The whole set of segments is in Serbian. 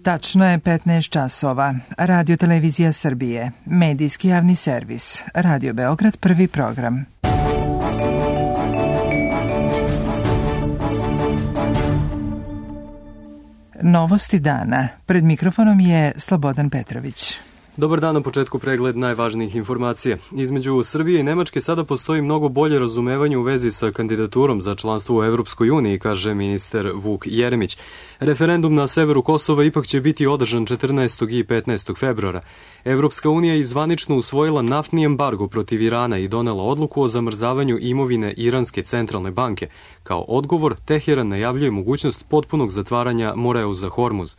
Tačno je 15 časova. Radio Televizija Srbije, medijski javni servis, Radio Beograd, prvi program. Novosti dana. Pred mikrofonom je Slobodan Petrović. Dobar dan, na početku pregled najvažnijih informacija. Između Srbije i Nemačke sada postoji mnogo bolje razumevanje u vezi sa kandidaturom za članstvo u Evropskoj uniji, kaže ministar Vuk Jeremić. Referendum na severu Kosova ipak će biti održan 14. i 15. februara. Evropska unija je zvanično usvojila naftni embargo protiv Irana i donela odluku o zamrzavanju imovine Iranske centralne banke. Kao odgovor, Teheran najavljuje mogućnost potpunog zatvaranja Moreuza Hormuz.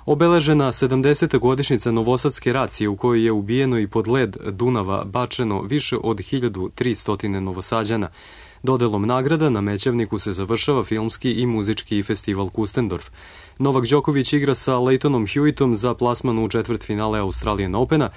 Obeležena 70. godišnjica novosadske racije u kojoj je ubijeno i pod led Dunava bačeno više od 1300 Novosađana. Dodelom nagrada na Mećavniku se završava filmski i muzički festival Kustendorf. Novak Đoković igra sa Leightonom Hewittom za plasman u četvrtfinale Australian Opena.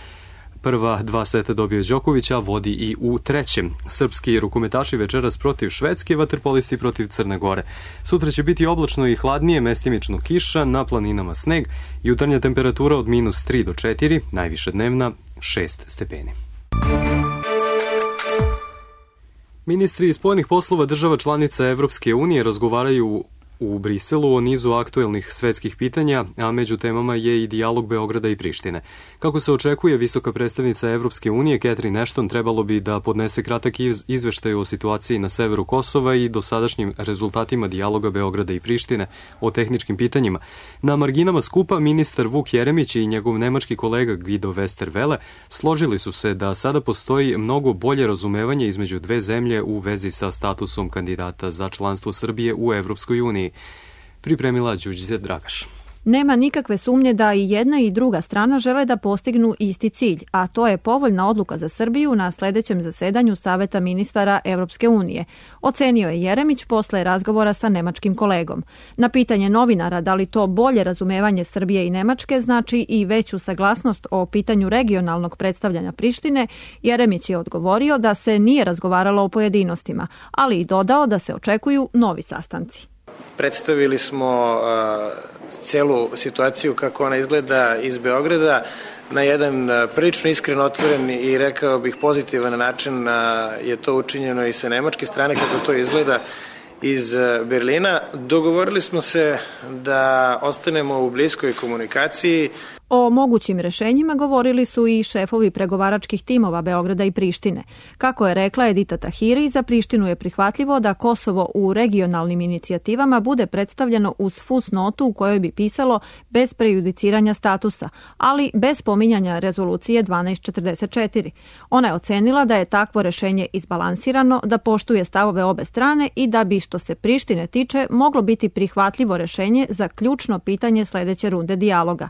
Prva dva seta dobio Đoković, a vodi i u trećem. Srpski rukometaši večeras protiv Švedske, vaterpolisti protiv Crne Gore. Sutra će biti oblačno i hladnije, mestimično kiša, na planinama sneg, jutarnja temperatura od -3 do 4, najviša dnevna 6 stepeni. Ministri spoljnih poslova država članica Evropske unije razgovaraju u Briselu o nizu aktuelnih svetskih pitanja, a među temama je i dijalog Beograda i Prištine. Kako se očekuje, visoka predstavnica Evropske unije Catherine Ashton trebalo bi da podnese kratak izveštaj o situaciji na severu Kosova i dosadašnjim rezultatima dijaloga Beograda i Prištine o tehničkim pitanjima. Na marginama skupa ministar Vuk Jeremić i njegov nemački kolega Guido Westerwelle složili su se da sada postoji mnogo bolje razumevanje između dve zemlje u vezi sa statusom kandidata za članstvo Srbije u Evropskoj uniji. Pripremila Đurđica Dragaš. Nema nikakve sumnje da i jedna i druga strana žele da postignu isti cilj, a to je povoljna odluka za Srbiju na sledećem zasedanju Saveta ministara Evropske unije, ocenio je Jeremić posle razgovora sa nemačkim kolegom. Na pitanje novinara da li to bolje razumevanje Srbije i Nemačke znači i veću saglasnost o pitanju regionalnog predstavljanja Prištine, Jeremić je odgovorio da se nije razgovaralo o pojedinostima, ali i dodao da se očekuju novi sastanci. Predstavili smo celu situaciju kako ona izgleda iz Beograda na jedan prilično iskren, otvoren i rekao bih pozitivan način je to učinjeno i sa nemačke strane kako to izgleda iz Berlina. Dogovorili smo se da ostanemo u bliskoj komunikaciji. O mogućim rešenjima govorili su i šefovi pregovaračkih timova Beograda i Prištine. Kako je rekla Edita Tahiri, za Prištinu je prihvatljivo da Kosovo u regionalnim inicijativama bude predstavljeno uz fusnotu u kojoj bi pisalo bez prejudiciranja statusa, ali bez pominjanja rezolucije 1244. Ona je ocenila da je takvo rešenje izbalansirano, da poštuje stavove obe strane i da bi, što se Prištine tiče, moglo biti prihvatljivo rešenje za ključno pitanje sledeće runde dijaloga.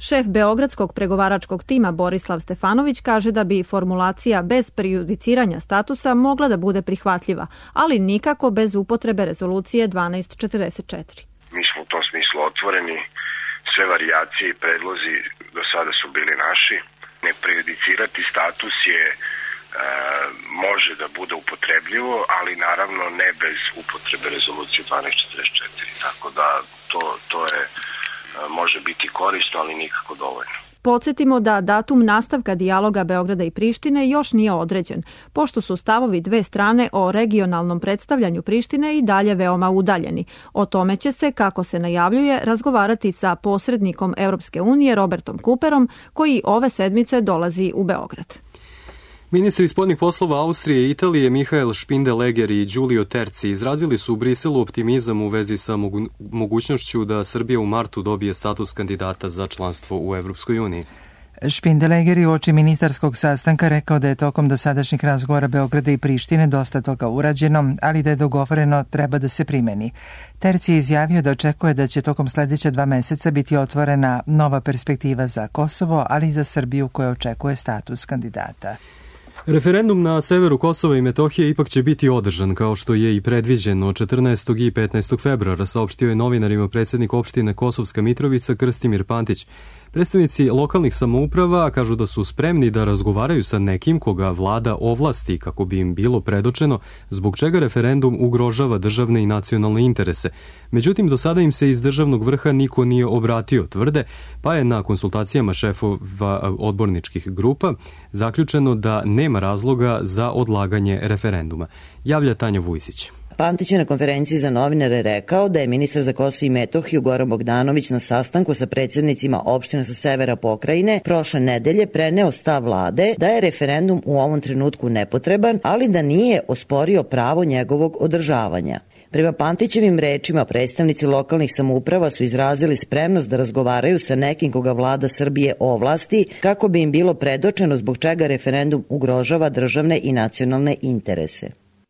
Šef Beogradskog pregovaračkog tima Borislav Stefanović kaže da bi formulacija bez prejudiciranja statusa mogla da bude prihvatljiva, ali nikako bez upotrebe rezolucije 1244. Mi smo u tom smislu otvoreni, sve varijacije i predlozi do sada su bili naši. Ne prejudicirati status je može da bude upotrebljivo, ali naravno ne bez upotrebe rezolucije 1244. Tako da to je može biti korisno, ali nikako dovoljno. Podsjetimo da datum nastavka dijaloga Beograda i Prištine još nije određen, pošto su stavovi dve strane o regionalnom predstavljanju Prištine i dalje veoma udaljeni. O tome će se, kako se najavljuje, razgovarati sa posrednikom Evropske unije Robertom Cooperom, koji ove sedmice dolazi u Beograd. Ministri spoljnih poslova Austrije i Italije Michael Spindeleger i Giulio Terzi izrazili su u Briselu optimizam u vezi sa mogućnošću da Srbija u martu dobije status kandidata za članstvo u Evropskoj uniji. Spindeleger je uoči ministarskog sastanka rekao da je tokom dosadašnjih razgovora Beograda i Prištine dosta toga urađeno, ali da je dogovoreno treba da se primeni. Terzi je izjavio da očekuje da će tokom sledeća 2 meseca biti otvorena nova perspektiva za Kosovo, ali i za Srbiju koja očekuje status kandidata. Referendum na severu Kosova i Metohije ipak će biti održan, kao što je i predviđeno 14. i 15. februara, saopštio je novinarima predsjednik opštine Kosovska Mitrovica Krstimir Pantić. Predstavnici lokalnih samouprava kažu da su spremni da razgovaraju sa nekim koga vlada ovlasti kako bi im bilo predočeno zbog čega referendum ugrožava državne i nacionalne interese. Međutim, do sada im se iz državnog vrha niko nije obratio, tvrde, pa je na konsultacijama šefova odborničkih grupa zaključeno da nema razloga za odlaganje referenduma. Javlja Tanja Vujsić. Pantić je na konferenciji za novinare rekao da je ministar za Kosovo i Metohiju Goran Bogdanović na sastanku sa predsjednicima opština sa severa pokrajine prošle nedelje preneo stav vlade da je referendum u ovom trenutku nepotreban, ali da nije osporio pravo njegovog održavanja. Prema Pantićevim rečima, predstavnici lokalnih samouprava su izrazili spremnost da razgovaraju sa nekim koga vlada Srbije ovlasti kako bi im bilo predočeno zbog čega referendum ugrožava državne i nacionalne interese.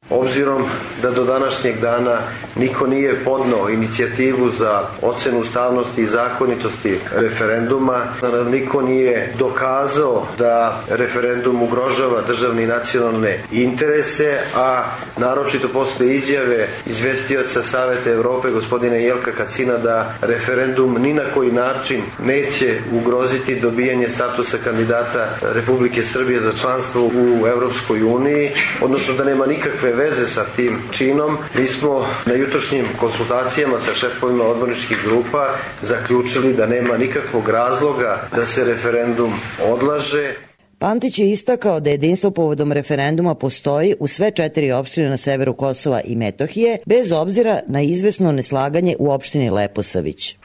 Obzirom da do današnjeg dana niko nije podneo inicijativu za ocenu ustavnosti i zakonitosti referenduma, niko nije dokazao da referendum ugrožava državne i nacionalne interese, a naročito posle izjave izvestioca Saveta Evrope gospodina Jelka Kacina da referendum ni na koji način neće ugroziti dobijanje statusa kandidata Republike Srbije za članstvo u Evropskoj uniji, odnosno da nema nikakve veze sa tim činom. Mi smo na jutrošnjim konsultacijama sa šefovima odborničkih grupa zaključili da nema nikakvog razloga da se referendum odlaže. Pantić je istakao da jedinstvo povodom referenduma postoji u sve 4 opštine na severu Kosova i Metohije, bez obzira na izvesno neslaganje u opštini Leposavić.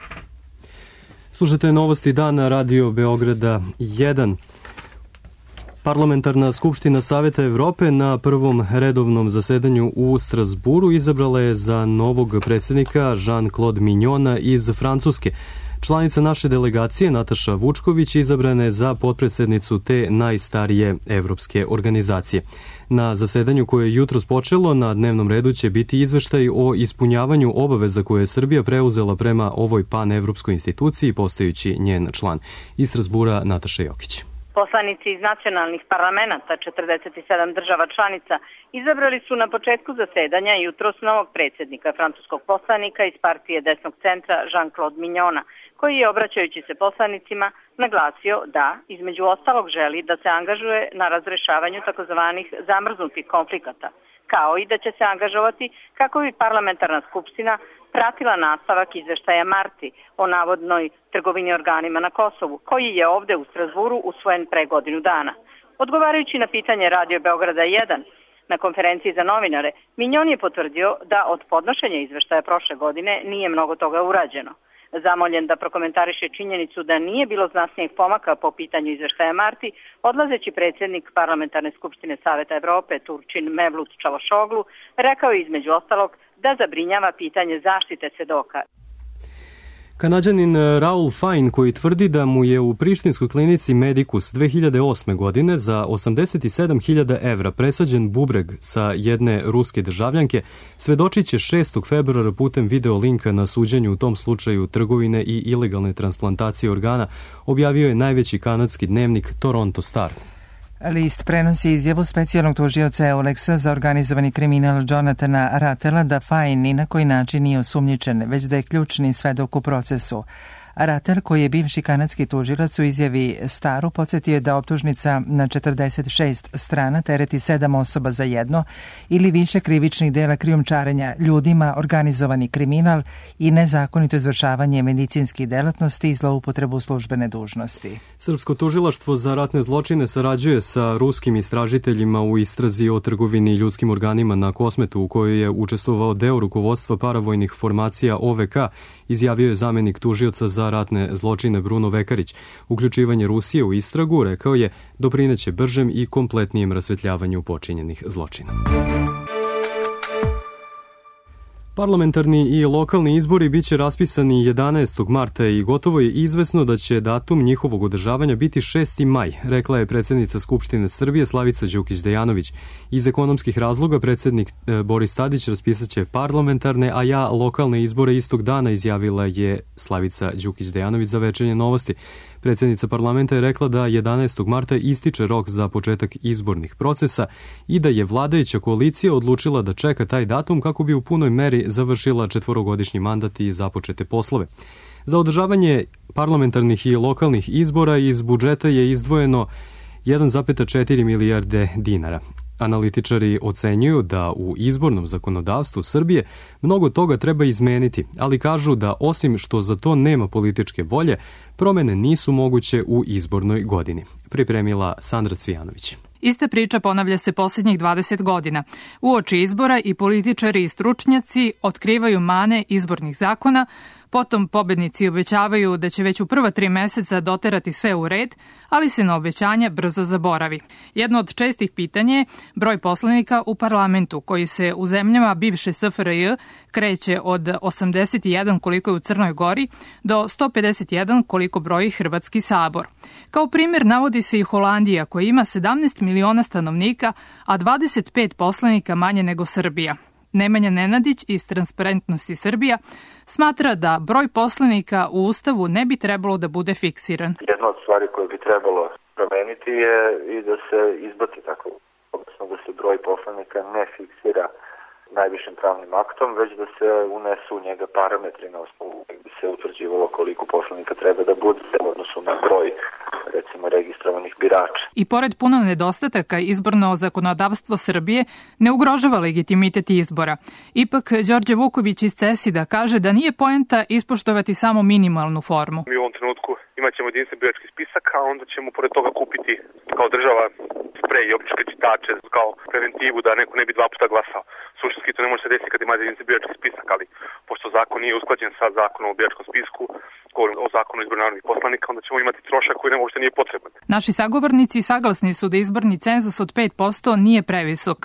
Slušajte novosti dana Radio Beograda 1. Parlamentarna skupština Saveta Evrope na prvom redovnom zasedanju u Strasburu izabrala je za novog predsjednika Jean-Claude Mignona iz Francuske. Članica naše delegacije Nataša Vučković izabrana je za potpredsjednicu te najstarije evropske organizacije. Na zasedanju koje je jutros počelo, na dnevnom redu će biti izveštaj o ispunjavanju obaveza koje je Srbija preuzela prema ovoj panevropskoj instituciji, postajući njen član. Iz Strasbura Nataša Jokić. Poslanici iz nacionalnih parlamenta 47 država članica izabrali su na početku zasedanja jutros novog predsjednika francuskog poslanika iz partije desnog centra Jean-Claude Mignona, koji je, obraćajući se poslanicima, naglasio da, između ostalog, želi da se angažuje na razrešavanju takozvanih zamrznutih konflikata, kao i da će se angažovati kako bi parlamentarna skupština pratila nastavak izveštaja Marti o navodnoj trgovini organima na Kosovu, koji je ovde u Strasburu usvojen pre godinu dana. Odgovarajući na pitanje Radio Beograda 1 na konferenciji za novinare, Mignon je potvrdio da od podnošenja izveštaja prošle godine nije mnogo toga urađeno. Zamoljen da prokomentariše činjenicu da nije bilo znatnijeg pomaka po pitanju izveštaja Marti, odlazeći predsjednik Parlamentarne skupštine Saveta Evrope Turčin Mevlut Čavošoglu rekao je između ostalog da zabrinjava pitanje zaštite svedoka. Kanadjanin Raul Fine, koji tvrdi da mu je u prištinskoj klinici Medicus 2008. godine za 87.000 evra presađen bubreg sa jedne ruske državljanke, svedočit će 6. februara putem video linka na suđenju u tom slučaju trgovine i ilegalne transplantacije organa, objavio je najveći kanadski dnevnik Toronto Star. List prenosi izjavu specijalnog tužioca Euleksa za organizovani kriminal Jonathana Ratela da Fine ni na koji način nije osumnjičen, već da je ključni svedok u procesu. Ratel, koji je bivši kanadski tužilac, u izjavi Staru podsjetio da optužnica na 46 strana tereti 7 osoba za jedno ili više krivičnih dela krijumčarenja ljudima, organizovani kriminal i nezakonito izvršavanje medicinskih delatnosti i zloupotrebu službene dužnosti. Srpsko tužilaštvo za ratne zločine sarađuje sa ruskim istražiteljima u istrazi o trgovini ljudskim organima na Kosmetu, u kojoj je učestvovao deo rukovodstva paravojnih formacija OVK, izjavio je zamenik tužioca za ratne zločine Bruno Vekarić. Uključivanje Rusije u istragu, rekao je, doprineće bržem i kompletnijem rasvetljavanju počinjenih zločina. Parlamentarni i lokalni izbori biće raspisani 11. marta i gotovo je izvesno da će datum njihovog održavanja biti 6. maj, rekla je predsjednica Skupštine Srbije Slavica Đukić Dejanović. Iz ekonomskih razloga predsjednik Boris Tadić raspisaće parlamentarne, a lokalne izbore istog dana, izjavila je Slavica Đukić Dejanović za Večernje novosti. Predsjednica parlamenta je rekla da 11. marta ističe rok za početak izbornih procesa i da je vladajuća koalicija odlučila da čeka taj datum kako bi u punoj meri završila 4-godišnji mandat i započete poslove. Za održavanje parlamentarnih i lokalnih izbora iz budžeta je izdvojeno 1,4 milijarde dinara. Analitičari ocenjuju da u izbornom zakonodavstvu Srbije mnogo toga treba izmeniti, ali kažu da osim što za to nema političke volje, promene nisu moguće u izbornoj godini. Pripremila Sandra Cvijanović. Ista priča ponavlja se posljednjih 20 godina. Uoči izbora i političari i stručnjaci otkrivaju mane izbornih zakona, potom pobednici obećavaju da će već u prva 3 meseca doterati sve u red, ali se na obećanja brzo zaboravi. Jedno od čestih pitanja je broj poslanika u parlamentu, koji se u zemljama bivše SFRJ kreće od 81 koliko je u Crnoj Gori do 151 koliko broji Hrvatski sabor. Kao primjer navodi se i Holandija, koja ima 17 miliona stanovnika, a 25 poslanika manje nego Srbija. Nemanja Nenadić iz Transparentnosti Srbija smatra da broj poslanika u Ustavu ne bi trebalo da bude fiksiran. Jedna od stvari koje bi trebalo promeniti je i da se izbaci tako, odnosno da se broj poslanika ne fiksira najvišim pravnim aktom, već da se unesu u njega parametri na osnovu gdje bi se utvrđivalo koliko poslanika treba da bude u odnosu na broj, recimo, registrovanih birača. I pored puno nedostataka, izborno zakonodavstvo Srbije ne ugrožava legitimitet izbora. Ipak, Đorđe Vuković iz CESID-a kaže da nije poenta ispoštovati samo minimalnu formu. Mi u ovom trenutku imaćemo jedinstven birački spisak, a onda ćemo pored toga kupiti kao država sprej i optičke čitače kao preventivu da neko ne bi 2 puta glasao. Suštinski to ne može se desiti kad imate jedinstven birački spisak, ali pošto zakon nije usklađen sa zakonom o biračkom spisku, govorim o zakonu o izboru narodnih poslanika, onda ćemo imati trošak koji uopšte nije potreban. Naši sagovornici saglasni su da izborni cenzus od 5% nije previsok.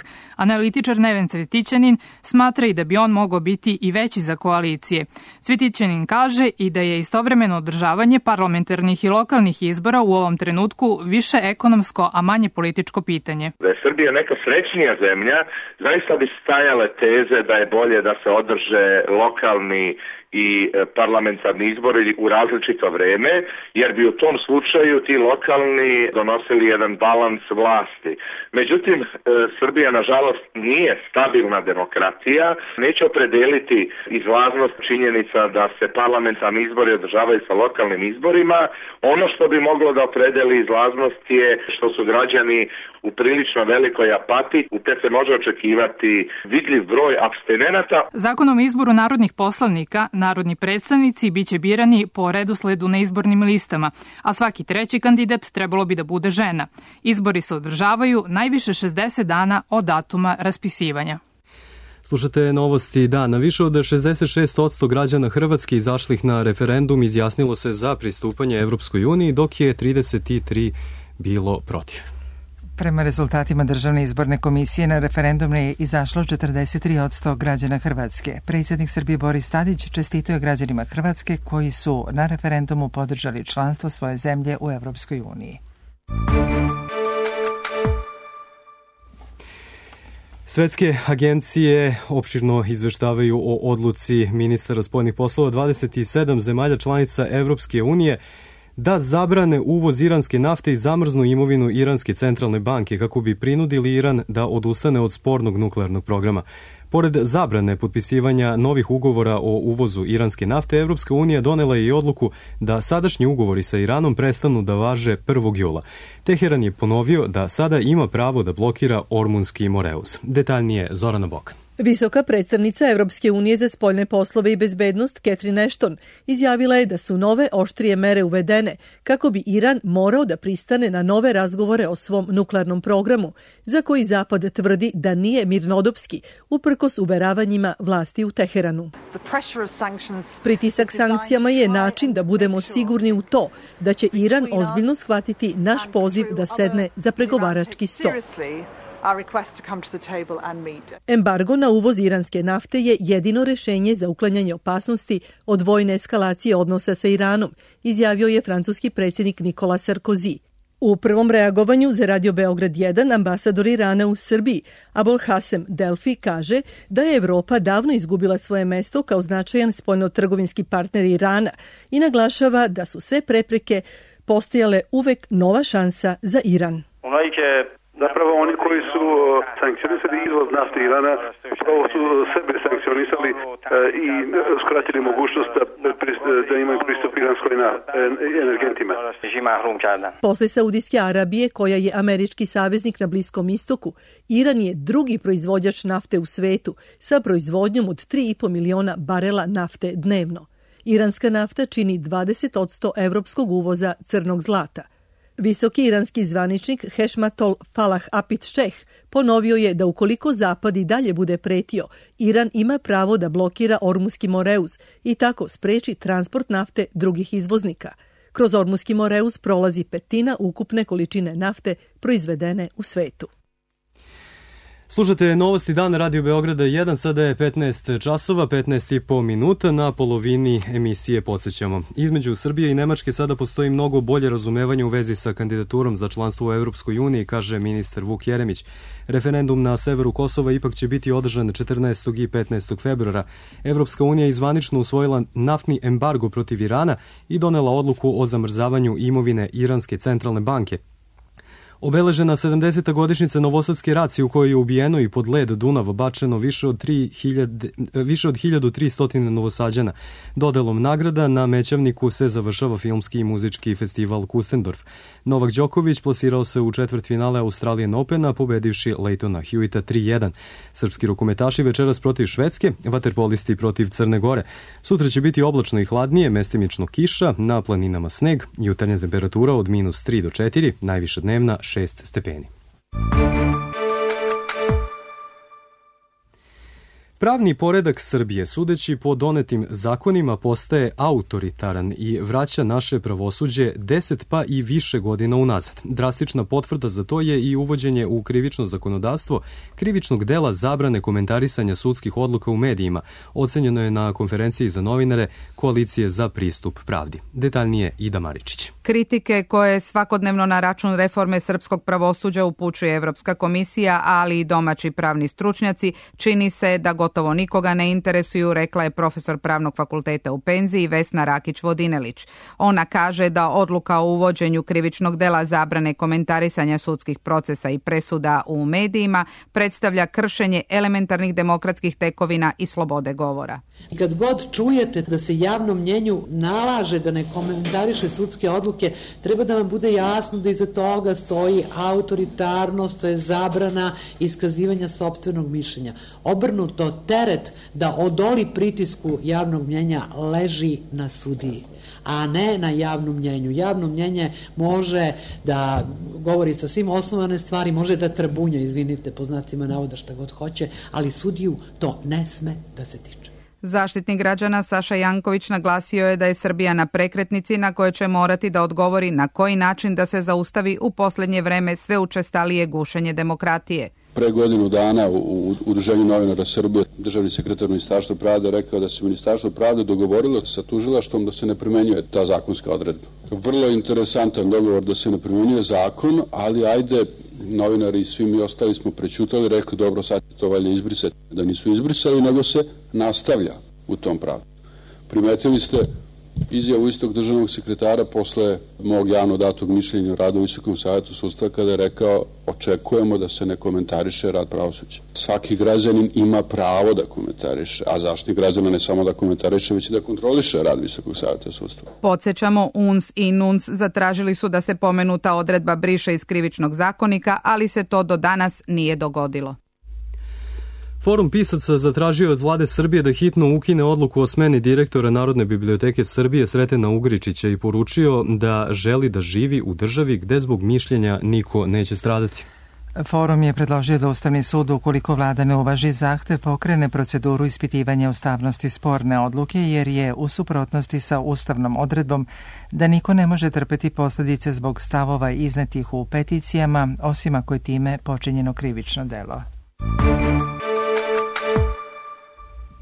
Analitičar Neven Cvetićanin smatra i da bi on mogao biti i veći za koalicije. Cvetićanin kaže i da je istovremeno održavanje parlamentarnih i lokalnih izbora u ovom trenutku više ekonomsko, a manje političko pitanje. Da je Srbija neka srećnija zemlja, zaista bi stajale teze da je bolje da se održe lokalni i parlamentarni izbori u različito vreme, jer bi u tom slučaju ti lokalni donosili jedan balans vlasti. Međutim, Srbija nažalost nije stabilna demokratija, neće opredeliti izlaznost činjenica da se parlamentarni izbori održavaju sa lokalnim izborima. Ono što bi moglo da opredeli izlaznost je što su građani u prilično velikoj apatiji, te se može očekivati vidljiv broj apstinenata. Zakonom o izboru narodnih poslanika, narodni predstavnici biće birani po redosledu na izbornim listama, a svaki treći kandidat trebalo bi da bude žena. Izbori se održavaju najviše 60 dana od datuma raspisivanja. Slušate novosti dana. Više od 66% građana Hrvatske izašlih na referendum izjasnilo se za pristupanje Evropskoj uniji, dok je 33 bilo protiv. Prema rezultatima Državne izborne komisije na referendum je izašlo 43% građana Hrvatske. Predsjednik Srbije Boris Tadić čestitao je građanima Hrvatske koji su na referendumu podržali članstvo svoje zemlje u Evropskoj uniji. Svetske agencije opširno izveštavaju o odluci ministara spoljnih poslova 27 zemalja članica Evropske unije da zabrane uvoz iranske nafte i zamrznu imovinu Iranske centralne banke kako bi prinudili Iran da odustane od spornog nuklearnog programa. Pored zabrane potpisivanja novih ugovora o uvozu iranske nafte, Evropska unija donela je i odluku da sadašnji ugovori sa Iranom prestanu da važe 1. jula. Teheran je ponovio da sada ima pravo da blokira Ormunski Moreus. Detaljnije Zorana Bokan. Visoka predstavnica Evropske unije za spoljne poslove i bezbednost Catherine Ashton izjavila je da su nove oštrije mere uvedene kako bi Iran morao da pristane na nove razgovore o svom nuklearnom programu, za koji Zapad tvrdi da nije mirnodopski, uprkos uveravanjima vlasti u Teheranu. Pritisak sankcijama je način da budemo sigurni u to da će Iran ozbiljno shvatiti naš poziv da sedne za pregovarački sto. Embargo na uvoz iranske nafte je jedino rešenje za uklanjanje opasnosti od vojne eskalacije odnosa sa Iranom, izjavio je francuski predsjednik Nicolas Sarkozy. U prvom reagovanju za Radio Beograd 1 ambasador Irana u Srbiji, Abolhasem Delfi, kaže da je Evropa davno izgubila svoje mesto kao značajan spoljnotrgovinski partner Irana i naglašava da su sve prepreke postojale uvek nova šansa za Iran. Zapravo oni koji su sankcionisali izvoz nafte Irana, upravo su sebe sankcionisali i skratili mogućnost da imaju pristup iranskoj energentima. Posle Saudijske Arabije, koja je američki saveznik na Bliskom istoku, Iran je drugi proizvođač nafte u svetu sa proizvodnjom od 3,5 miliona barela nafte dnevno. Iranska nafta čini 20% evropskog uvoza crnog zlata. Visoki iranski zvaničnik Hešmatol Falah Apit Šeh ponovio je da ukoliko Zapad i dalje bude pretio, Iran ima pravo da blokira Ormuski Moreuz i tako spreči transport nafte drugih izvoznika. Kroz Ormuski Moreuz prolazi petina ukupne količine nafte proizvedene u svetu. Slušate Novosti dana Radio Beograda 1, sada je 15 časova, 15,5 minuta, na polovini emisije podsjećamo. Između Srbije i Nemačke sada postoji mnogo bolje razumevanje u vezi sa kandidaturom za članstvo u Evropskoj uniji, kaže ministar Vuk Jeremić. Referendum na severu Kosova ipak će biti održan 14. i 15. februara. Evropska unija je zvanično usvojila naftni embargo protiv Irana i donela odluku o zamrzavanju imovine Iranske centralne banke. Obeležena 70. godišnjica Novosadske racije u kojoj je ubijeno i pod led Dunava bačeno više od 1300 Novosađana. Dodelom nagrada na Mećavniku se završava filmski i muzički festival Kustendorf. Novak Đoković plasirao se u četvrtfinale Australian Opena, pobedivši Leightona Hewita 3-1. Srpski rukometaši večeras protiv Švedske, vaterpolisti protiv Crne Gore. Sutra će biti oblačno i hladnije, mestimično kiša, na planinama sneg, jutarnja temperatura od -3 do 4, najviša dnevna 6 stepeni. Pravni poredak Srbije, sudeći po donetim zakonima, postaje autoritaran i vraća naše pravosuđe 10 pa i više godina unazad. Drastična potvrda za to je i uvođenje u krivično zakonodavstvo krivičnog dela zabrane komentarisanja sudskih odluka u medijima, ocenjeno je na konferenciji za novinare Koalicije za pristup pravdi. Detaljnije Ida Maričić. Kritike koje svakodnevno na račun reforme srpskog pravosuđa upućuje Evropska komisija, ali i domaći pravni stručnjaci, čini se da gotovo nikoga ne interesuju, rekla je profesor Pravnog fakulteta u penziji Vesna Rakić-Vodinelić. Ona kaže da odluka o uvođenju krivičnog dela zabrane komentarisanja sudskih procesa i presuda u medijima predstavlja kršenje elementarnih demokratskih tekovina i slobode govora. Kad god čujete da se javnom mnjenju nalaže da ne komentariše sudske odluke, treba da vam bude jasno da iza toga stoji autoritarnost, to je zabrana iskazivanja sopstvenog mišljenja. Obrnuto, teret da odoli pritisku javnog mnjenja leži na sudiji, a ne na javnom mnjenju. Javno mnjenje može da govori sa svim osnovane stvari, može da trabunja, izvinite, po znacima navoda šta god hoće, ali sudiju to ne sme da se tiče. Zaštitnik građana Saša Janković naglasio je da je Srbija na prekretnici na kojoj će morati da odgovori na koji način da se zaustavi u posljednje vreme sve učestalije gušenje demokratije. Pre godinu dana u Udruženju novinara Srbije državni sekretar Ministarstva pravde rekao da se Ministarstvo pravde dogovorilo sa tužilaštvom da se ne primenjuje ta zakonska odredba. Vrlo interesantan dogovor da se ne primenjuje zakon, ali ajde, novinari i svi mi ostali smo prećutali, rekli dobro, sad to valjda izbrisati. Da nisu izbrisali, nego se nastavlja u tom pravu. Primetili ste izjavu istog državnog sekretara posle mog javno datog mišljenja o radu u Visokom savjetu sudstva kada je rekao očekujemo da se ne komentariše rad pravosuđa. Svaki građanin ima pravo da komentariše, a Zaštitnik građana ne samo da komentariše, već i da kontroliše rad Visokog savjeta sudstva. Podsjećamo, UNS i NUNS zatražili su da se pomenuta odredba briše iz krivičnog zakonika, ali se to do danas nije dogodilo. Forum pisaca zatražio od vlade Srbije da hitno ukine odluku o smeni direktora Narodne biblioteke Srbije Sretena Ugričića i poručio da želi da živi u državi gde zbog mišljenja niko neće stradati. Forum je predložio da Ustavni sud, ukoliko vlada ne uvaži zahtev, pokrene proceduru ispitivanja ustavnosti sporne odluke, jer je u suprotnosti sa ustavnom odredbom da niko ne može trpeti posljedice zbog stavova iznetih u peticijama, osim ako je time počinjeno krivično delo.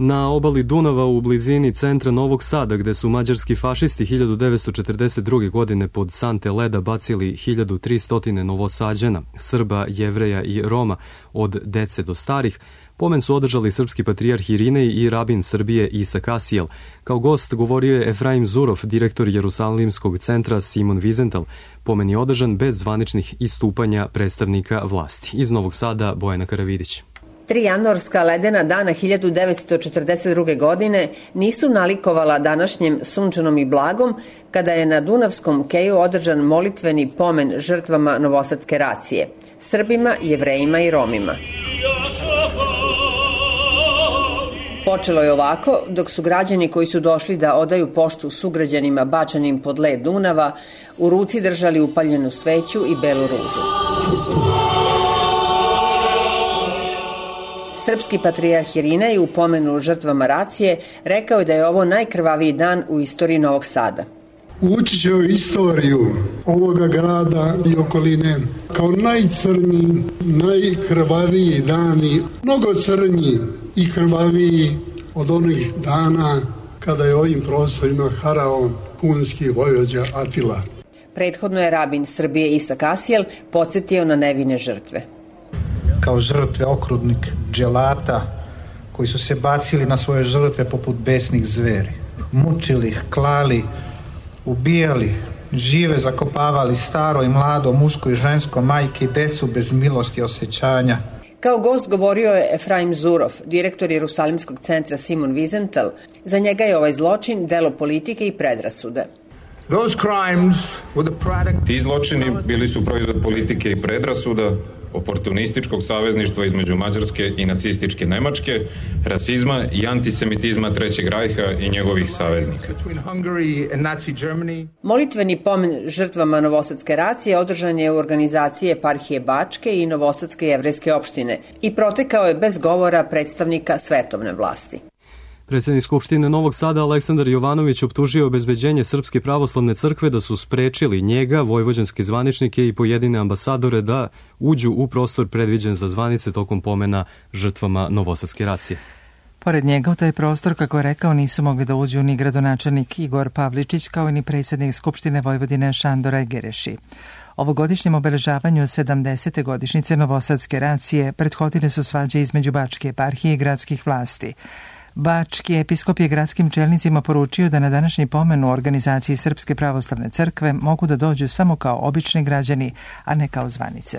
Na obali Dunava u blizini centra Novog Sada, gde su mađarski fašisti 1942. godine pod sante leda bacili 1300 Novosađana, Srba, Jevreja i Roma, od dece do starih, pomen su održali srpski patrijarh Irinej i rabin Srbije Isak Asijel. Kao gost govorio je Efraim Zurov, direktor Jerusalimskog centra Simon Wiesenthal. Pomen je održan bez zvaničnih istupanja predstavnika vlasti. Iz Novog Sada, Bojana Karavidić. 3 januarska ledena dana 1942. godine nisu nalikovala današnjem sunčanom i blagom, kada je na Dunavskom keju održan molitveni pomen žrtvama novosadske racije, Srbima, Jevrejima i Romima. Počelo je ovako, dok su građani koji su došli da odaju poštu sugrađanima bačanim pod led Dunava, u ruci držali upaljenu sveću i belu ružu. Srpski patrijarh Irinej u pomenu žrtvama racije rekao je da je ovo najkrvaviji dan u istoriji Novog Sada. Ući će u istoriju ovoga grada i okoline kao najcrniji, najkrvaviji dani, mnogo crnji i krvaviji od onih dana kada je ovim prostorima harao punski vojvođa Atila. Prethodno je rabin Srbije Isak Asijel podsjetio na nevine žrtve. Kao žrtve okrutnih dželata koji su se bacili na svoje žrtve poput besnih zveri. Mučili ih, klali, ubijali, žive zakopavali, staro i mlado, muško i žensko, majke i decu bez milosti i osjećanja. Kao gost govorio je Efraim Zurov, direktor Jerusalimskog centra Simon Wiesenthal. Za njega je ovaj zločin delo politike i predrasude. Ti zločini bili su proizvod politike i predrasuda, oportunističkog savezništva između Mađarske i nacističke Nemačke, rasizma i antisemitizma Trećeg rajha i njegovih saveznika. Molitveni pomen žrtvama novosadske racije održan je u organizaciji eparhije Bačke i Novosadske jevrejske opštine i protekao je bez govora predstavnika svetovne vlasti. Predsjednik Skupštine Novog Sada Aleksandar Jovanović optužio obezbeđenje Srpske pravoslavne crkve da su sprečili njega, vojvođanske zvaničnike i pojedine ambasadore da uđu u prostor predviđen za zvanice tokom pomena žrtvama novosadske racije. Pored njega u taj prostor, kako je rekao, nisu mogli da uđu ni gradonačelnik Igor Pavličić, kao i ni predsjednik Skupštine Vojvodine Šandor Egereši. Ovogodišnjem obeležavanju 70. godišnjice novosadske racije prethodile su svađe između Bačke eparhije i gradskih vlasti. Bački episkop je gradskim čelnicima poručio da na današnji pomen u organizaciji Srpske pravoslavne crkve mogu da dođu samo kao obični građani, a ne kao zvanice.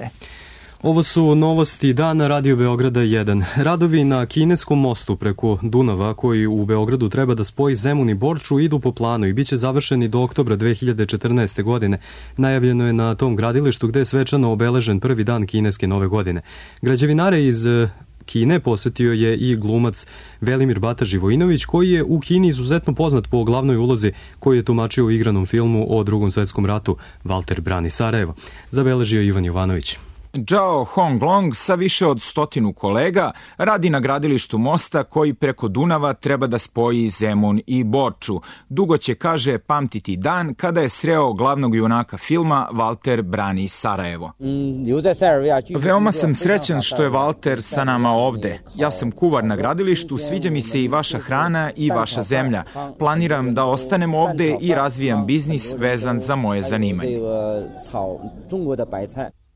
Ovo su novosti dana Radio Beograda 1. Radovi na kineskom mostu preko Dunava, koji u Beogradu treba da spoji Zemun i Borču, idu po planu i bit će završeni do oktobra 2014. godine. Najavljeno je na tom gradilištu gde je svečano obeležen prvi dan kineske nove godine. Građevinare iz Kine posetio je i glumac Velimir Bata Živojinović, koji je u Kini izuzetno poznat po glavnoj ulozi koju je tumačio u igranom filmu o Drugom svetskom ratu Valter brani Sarajevo. Zabeležio Ivan Jovanović. Zhao Honglong sa više od 100 kolega radi na gradilištu mosta koji preko Dunava treba da spoji Zemun i Borču. Dugo će, kaže, pamtiti dan kada je sreo glavnog junaka filma Valter brani Sarajevo. Veoma sam srećan što je Valter sa nama ovde. Ja sam kuvar na gradilištu, sviđa mi se i vaša hrana i vaša zemlja. Planiram da ostanem ovde i razvijam biznis vezan za moje zanimanje.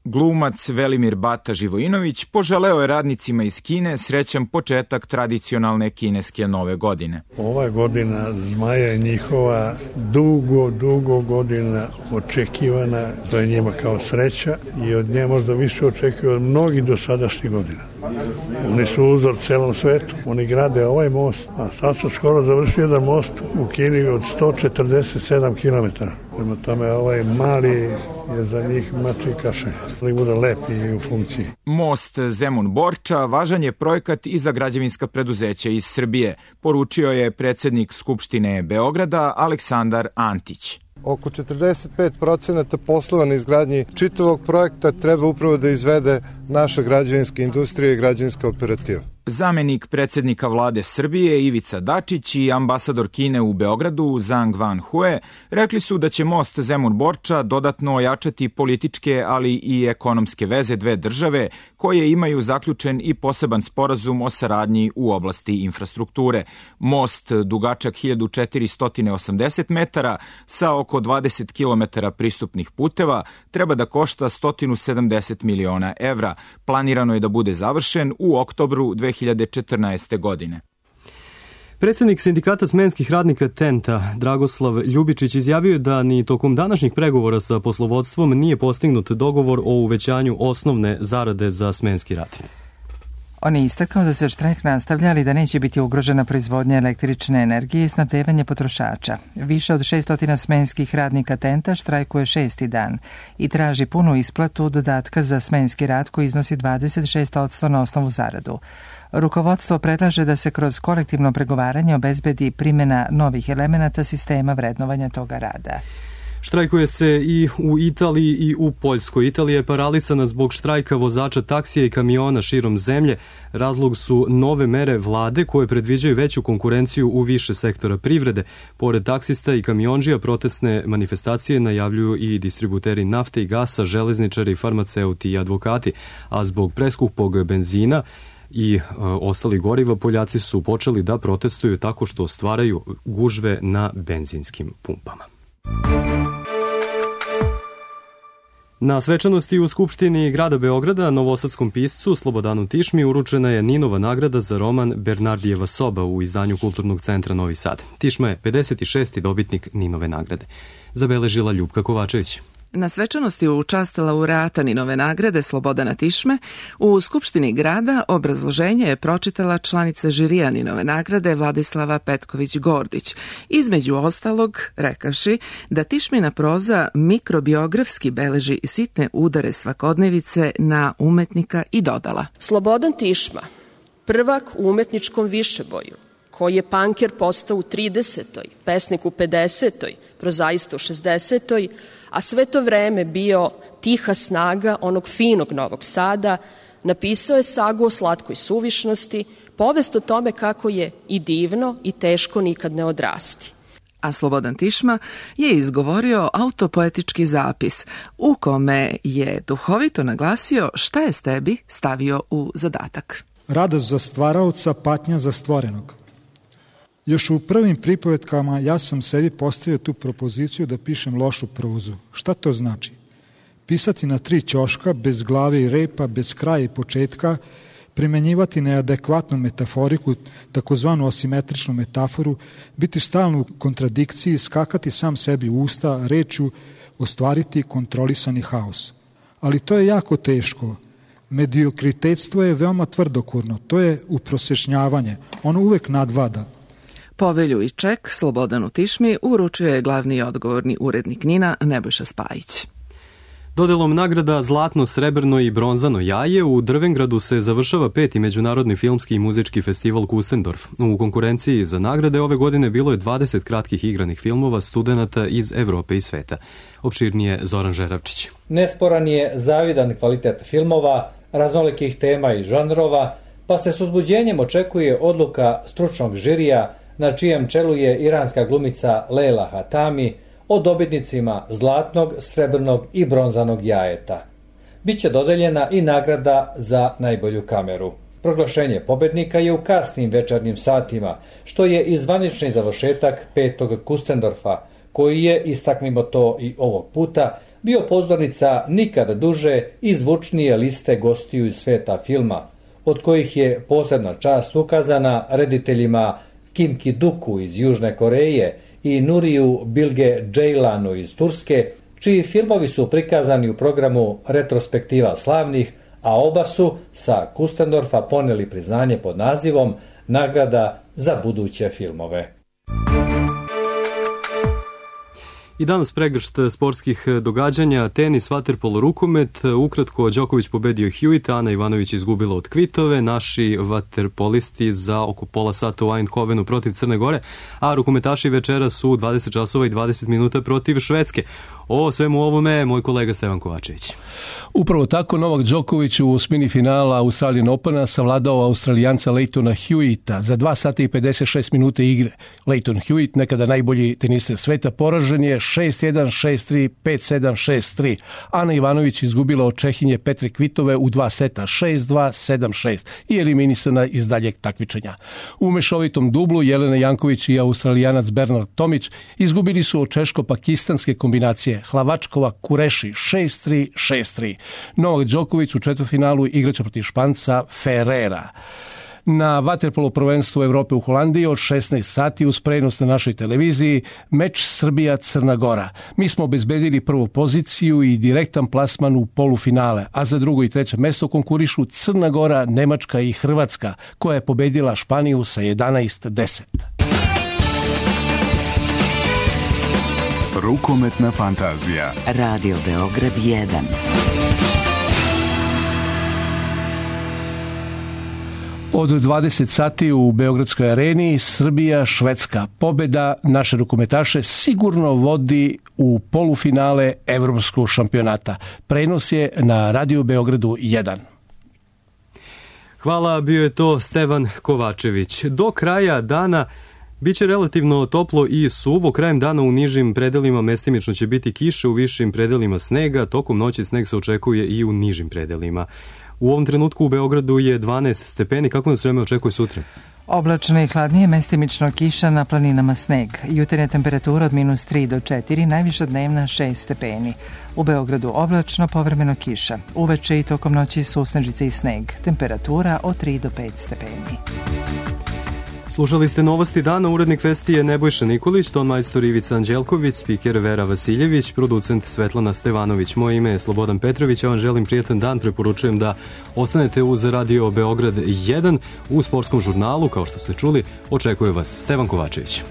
Glumac Velimir Bata Živojinović poželeo je radnicima iz Kine srećan početak tradicionalne kineske nove godine. Ova godina Zmaja je njihova dugo godina očekivana, to je njima kao sreća i od nje možda više očekuje od mnogih dosadašnjih godina. Oni su uzor celom svetu, oni grade ovaj most, a sad su skoro završili jedan most u Kini od 147 km. Prema tome ovaj mali je za njih mači kašalj, da bude lep i u funkciji. Most Zemun-Borča važan je projekat i za građevinska preduzeća iz Srbije, poručio je predsjednik Skupštine Beograda Aleksandar Antić. Oko 45% poslova na izgradnji čitavog projekta treba upravo da izvede naša građevinska industrija i građevinska operativa. Zamenik predsjednika vlade Srbije Ivica Dačić i ambasador Kine u Beogradu Zhang Wanhue rekli su da će most Zemun-Borča dodatno ojačati političke, ali i ekonomske veze dve države koje imaju zaključen i poseban sporazum o saradnji u oblasti infrastrukture. Most, dugačak 1480 metara sa oko 20 km pristupnih puteva, treba da košta 170 miliona evra. Planirano je da bude završen u oktobru 2014. godine. Predsjednik sindikata smenskih radnika TENT-a, Dragoslav Ljubičić, izjavio je da ni tokom današnjih pregovora sa poslovodstvom nije postignut dogovor o uvećanju osnovne zarade za smenski rad. On je istakao da se štrajk nastavlja, ali da neće biti ugrožena proizvodnja električne energije i snabdevanje potrošača. Više od 600 smenskih radnika TENT-a štrajkuje 6. dan i traži punu isplatu dodatka za smenski rad koji iznosi 26% na osnovu zaradu. Rukovodstvo predlaže da se kroz kolektivno pregovaranje obezbedi primjena novih elemenata sistema vrednovanja toga rada. Štrajkuje se i u Italiji i u Poljskoj. Italija je paralisana zbog štrajka vozača taksija i kamiona širom zemlje. Razlog su nove mere vlade koje predviđaju veću konkurenciju u više sektora privrede. Pored taksista i kamiondžija, protestne manifestacije najavljuju i distributeri nafte i gasa, železničari, farmaceuti i advokati. A zbog preskupog benzina i ostalih goriva, Poljaci su počeli da protestuju tako što stvaraju gužve na benzinskim pumpama. Na svečanosti u Skupštini grada Beograda novosadskom piscu Slobodanu Tišmi uručena je Ninova nagrada za roman Bernardijeva soba u izdanju Kulturnog centra Novi Sad. Tišma je 56. dobitnik Ninove nagrade. Zabeležila Ljupka Kovačević. Na svečanosti u čast laureata Ninove nagrade Slobodana Tišme u Skupštini grada obrazloženje je pročitala članica žirija Ninove nagrade Vladislava Petković-Gordić, između ostalog rekavši da Tišmina proza mikrobiografski beleži sitne udare svakodnevice na umetnika i dodala: Slobodan Tišma, prvak u umetničkom višeboju, koji je panker postao u 30. pesnik u 50. prozaista u 60. a sve to vreme bio tiha snaga onog finog Novog Sada, napisao je sagu o slatkoj suvišnosti, povest o tome kako je i divno i teško nikad ne odrasti. A Slobodan Tišma je izgovorio autopoetički zapis u kome je duhovito naglasio šta je Stebi stavio u zadatak. Radost za stvaraoca, patnja za stvorenog. Još u prvim pripovetkama ja sam sebi postavio tu propoziciju da pišem lošu prozu. Šta to znači? Pisati na 3 ćoška, bez glave i repa, bez kraja i početka, primenjivati neadekvatnu metaforiku, takozvanu asimetričnu metaforu, biti stalno u kontradikciji, skakati sam sebi u usta, rečju, ostvariti kontrolisani haos. Ali to je jako teško. Mediokritetstvo je veoma tvrdokurno, to je uprosešnjavanje, ono uvek nadvlada. Povelju i ček Slobodanu Tišmi uručio je glavni i odgovorni urednik NIN-a Nebojša Spajić. Dodelom nagrada Zlatno, srebrno i bronzano jaje u Drvengradu se završava 5. međunarodni filmski i muzički festival Kustendorf. U konkurenciji za nagrade ove godine bilo je 20 kratkih igranih filmova studenata iz Evrope i sveta. Opširnije Zoran Žeravčić. Nesporan je zavidan kvalitet filmova, raznolikih tema i žanrova, pa se s uzbuđenjem očekuje odluka stručnog žirija na čijem čelu je iranska glumica Leila Hatami o dobitnicima zlatnog, srebrnog i bronzanog jajeta. Biće dodeljena i nagrada za najbolju kameru. Proglašenje pobednika je u kasnim večernjim satima, što je i zvanični završetak 5. Kustendorfa, koji je, istaknimo to i ovog puta, bio pozornica nikada duže i zvučnije liste gostiju iz sveta filma, od kojih je posebna čast ukazana rediteljima Kim Ki-duku iz Južne Koreje i Nuriju Bilge Ceylan'u iz Turske, čiji filmovi su prikazani u programu Retrospektiva slavnih, a oba su sa Kustendorfa poneli priznanje pod nazivom Nagrada za buduće filmove. I danas pregršt sportskih događanja, tenis, vaterpolo, rukomet. Ukratko, Đoković pobedio Hewitt, Ana Ivanović izgubila od Kvitove, naši vaterpolisti za oko pola sata u Eindhovenu protiv Crne Gore, a rukometaši večera su 20 časova i 20 minuta protiv Švedske. O svemu ovome moj kolega Stevan Kovačević. Upravo tako, Novak Đoković u osmini finala Australian Opena savladao Australijanca Lleytona Hewitta za 2 sata i 56 minuta igre. Lleyton Hewitt, nekada najbolji teniser sveta, poražen je 6-1, 6-3, 5-7, 6-3. Ana Ivanović izgubila od Čehinje Petre Kvitove u 2 seta 6-2, 7-6 i eliminisana iz daljeg takmičenja. U mešovitom dublu Jelena Janković i Australijanac Bernard Tomić izgubili su od češko-pakistanske kombinacije Hlavačkova Kureši 6-3, 6-3. Novak Đoković u četvrtfinalu igraće protiv Španca Ferrera. Na vaterpolo prvenstvu Evrope u Holandiji od 16 sati uz prenos na našoj televiziji meč Srbija-Crna Gora. Mi smo obezbedili prvu poziciju i direktan plasman u polufinale, a za drugo i treće mesto konkurišu Crna Gora, Nemačka i Hrvatska, koja je pobedila Španiju sa 11-10. Rukometna fantazija. Radio Beograd 1. Od 20 sati u Beogradskoj areni Srbija-Švedska. Pobeda naše rukometaše sigurno vodi u polufinale evropskog šampionata. Prenos je na Radio Beogradu 1. Hvala, bio je to Stevan Kovačević. Do kraja dana biće relativno toplo i suvo. Krajem dana u nižim predelima mestimično će biti kiše, u višim predelima snega. Tokom noći sneg se očekuje i u nižim predelima. U ovom trenutku u Beogradu je 12 stepeni. Kako nas vreme očekuje sutra? Oblačno i hladnije, mestimično kiša, na planinama sneg. Jutarnja temperatura od -3 do 4, najviša dnevna 6 stepeni. U Beogradu oblačno, povremeno kiša. Uveče i tokom noći susnežice i sneg. Temperatura od 3 do 5 stepeni. Slušali ste novosti dana, urednik Vesti je Nebojša Nikolić, tonmajstor Ivica Anđelković, spiker Vera Vasiljević, producent Svetlana Stevanović. Moje ime je Slobodan Petrović, ja vam želim prijetan dan, preporučujem da ostanete uz Radio Beograd 1. U sportskom žurnalu, kao što ste čuli, očekuje vas Stevan Kovačević.